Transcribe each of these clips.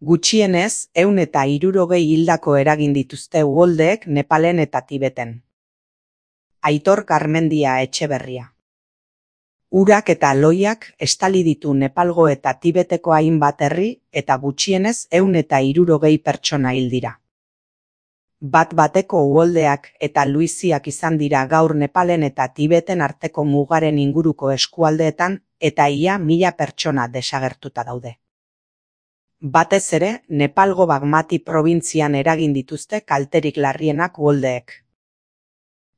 Gutxienez 160 hildako eragin dituzte uholdeek Nepalen eta Tibeten. Aitor Garmendia Etxeberria. Urak eta loiak estali ditu Nepalgo eta Tibeteko hainbat herri eta gutxienez 160 pertsona hil dira. Bat-bateko uholdeak eta luiziak izan dira gaur Nepalen eta Tibeten arteko mugaren inguruko eskualdeetan eta ia 1000 pertsona desagertuta daude. Batez ere, Nepalgo Bagmati probintzian eragin dituzte kalterik larrienak uholdeek.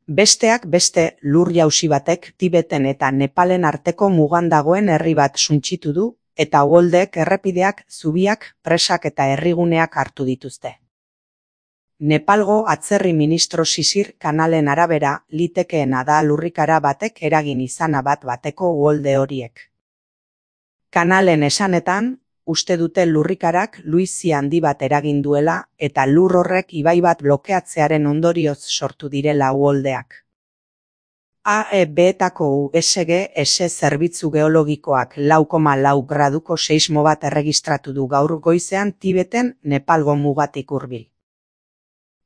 Besteak beste, lur-jausi batek Tibeten eta Nepalen arteko mugan dagoen herri bat suntsitu du, eta uholdeek errepideak, zubiak, presak eta herriguneak hartu dituzte. Nepalgo atzerri ministro Sisir Kanalen arabera, litekeena da lurrikara batek eragin izana bat-bateko uholde horiek. Kanalen esanetan, uste dute lurrikarak luizia handi bat eragin duela eta lur horrek ibai bat blokeatzearen ondorioz sortu direla uholdeak. AEB-etako USGS zerbitzu geologikoak 4,4 graduko seismo bat erregistratu du gaur goizean Tibeten Nepalgo mugatik hurbil.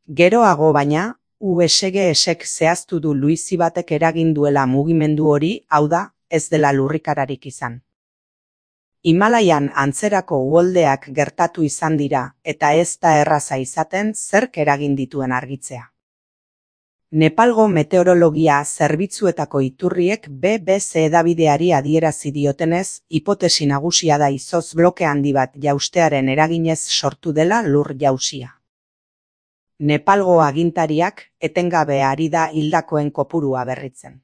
Geroago baina, USGS-ek zehaztu du luizi batek eragin duela mugimendu hori, hau da, ez dela lurrikararik izan. Himalaian antzerako uholdeak gertatu izan dira eta ez da erraza izaten zerk eragin dituen argitzea. Nepalgo meteorologia zerbitzuetako iturriek BBC hedabideari adierazi diotenez, hipotesi nagusia da izotz bloke handi bat jaustearen eraginez sortu dela lur jausia. Nepalgo agintariak etengabe ari da hildakoen kopurua berritzen.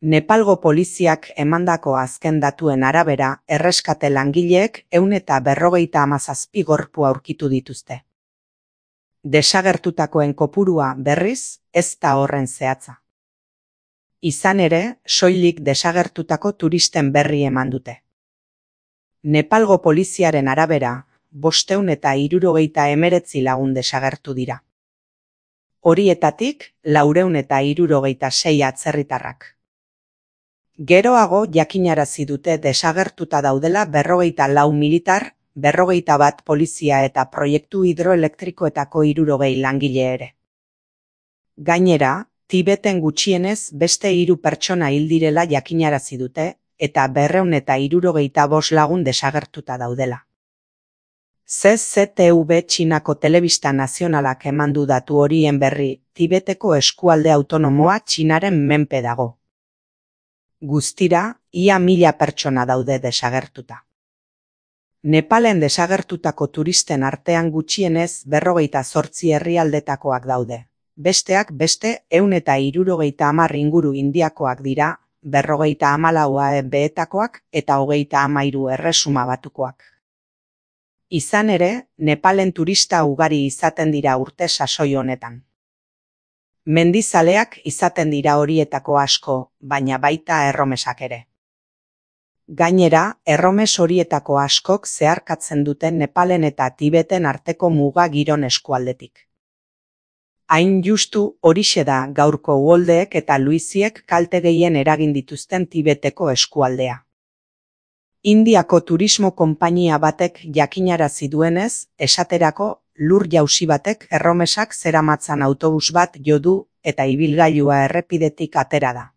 Nepalgo poliziak emandako azken datuen arabera, erreskate langileek 157 gorpu aurkitu dituzte. Desagertutakoen kopurua berriz, ez da horren zehatza. Izan ere, soilik desagertutako turisten berri eman dute. Nepalgo poliziaren arabera, 569 lagun desagertu dira. Horietatik, 466 atzerritarrak. Geroago jakinarazi dute desagertuta daudela 44 militar, 41 polizia eta proiektu hidroelektrikoetako 60 langile ere. Gainera, Tibeten gutxienez beste 3 pertsona hil direla jakinarazi dute eta 265 lagun desagertuta daudela. CCTV Txinako telebista nazionalak eman du datu horien berri, Tibeteko eskualde autonomoa Txinaren menpe dago. Guztira, ia 1000 pertsona daude desagertuta. Nepalen desagertutako turisten artean gutxienez 58 herrialdetakoak daude. Besteak beste 170 inguru Indiakoak dira, 54 AEB-etakoak eta 33 Erresuma Batukoak. Izan ere, Nepalen turista ugari izaten dira urte sasoi honetan. Mendizaleak izaten dira horietako asko, baina baita erromesak ere. Gainera, erromes horietako askok zeharkatzen duten Nepalen eta Tibeten arteko muga giron eskualdetik. Hain justu horixe da gaurko uholdeek eta luiziek kalte gehien eragin dituzten Tibeteko eskualdea. Indiako turismo konpainia batek jakinarazi duenez, esaterako lur jausi batek erromesak zeramatzan autobus bat jo du eta ibilgailua errepidetik atera da.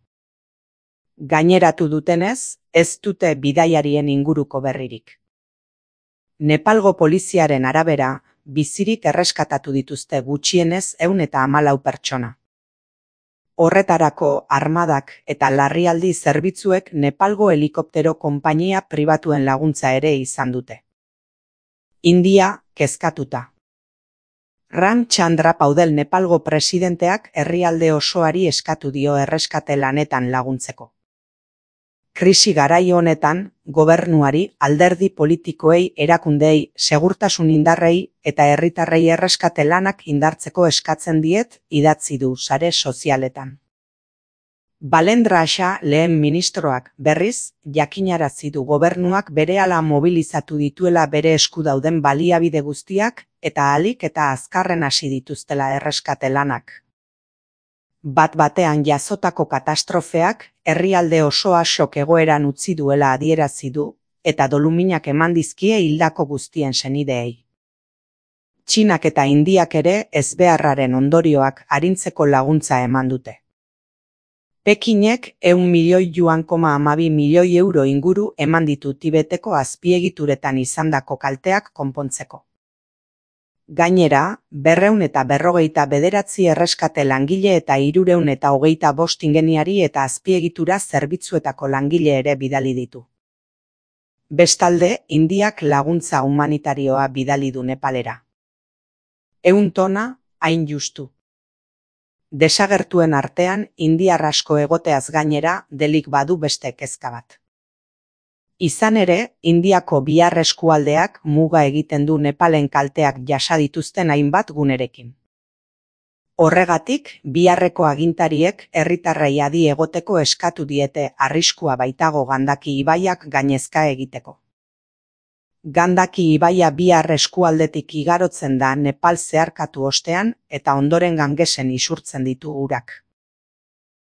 Gaineratu dutenez, ez dute bidaiarien inguruko berririk. Nepalgo poliziaren arabera, bizirik erreskatatu dituzte gutxienez 114 pertsona. Horretarako armadak eta larrialdi zerbitzuek Nepalgo helikoptero konpainia pribatuen laguntza ere izan dute. India, kezkatuta. Ramchandra Paudel Nepalgo presidenteak herrialde osoari eskatu dio erreskate lanetan laguntzeko. Krisi garai honetan, gobernuari, alderdi politikoei, erakundei, segurtasun indarrei eta herritarrei erreskate lanak indartzeko eskatzen diet, idatzi du sare sozialetan. Balendra Shah lehen ministroak berriz, jakinarazi du gobernuak berehala mobilizatu dituela bere esku dauden baliabide guztiak eta ahalik eta azkarren hasi dituztela erreskate lanak. Bat-batean jazotako katastrofeak herrialde osoa shock egoeran utzi duela adierazi du eta doluminak eman dizkie hildako guztien senideei. Txinak eta Indiak ere ezbeharraren ondorioak arintzeko laguntza eman dute. Pekinek 100 milioi yuan,2 milioi euro inguru eman ditu Tibeteko azpiegituretan izandako kalteak konpontzeko. Gainera, 249 erreskate langile eta 325 ingeniari eta azpiegitura zerbitzuetako langile ere bidali ditu. Bestalde, Indiak laguntza humanitarioa bidali du Nepalera. 100 tona, hain justu. Desagertuen artean, indiar asko egoteaz gainera, delik badu beste kezka bat. Izan ere, Indiako bihar eskualdeak muga egiten du Nepalen kalteak jasa dituzten hainbat gunerekin. Horregatik, biharreko agintariek herritarrei adi egoteko eskatu diete arriskua baitago Gandaki ibaiak gainezka egiteko. Gandaki ibaia bihar eskualdetik igarotzen da Nepal zeharkatu ostean eta ondoren Gangesen isurtzen ditu urak.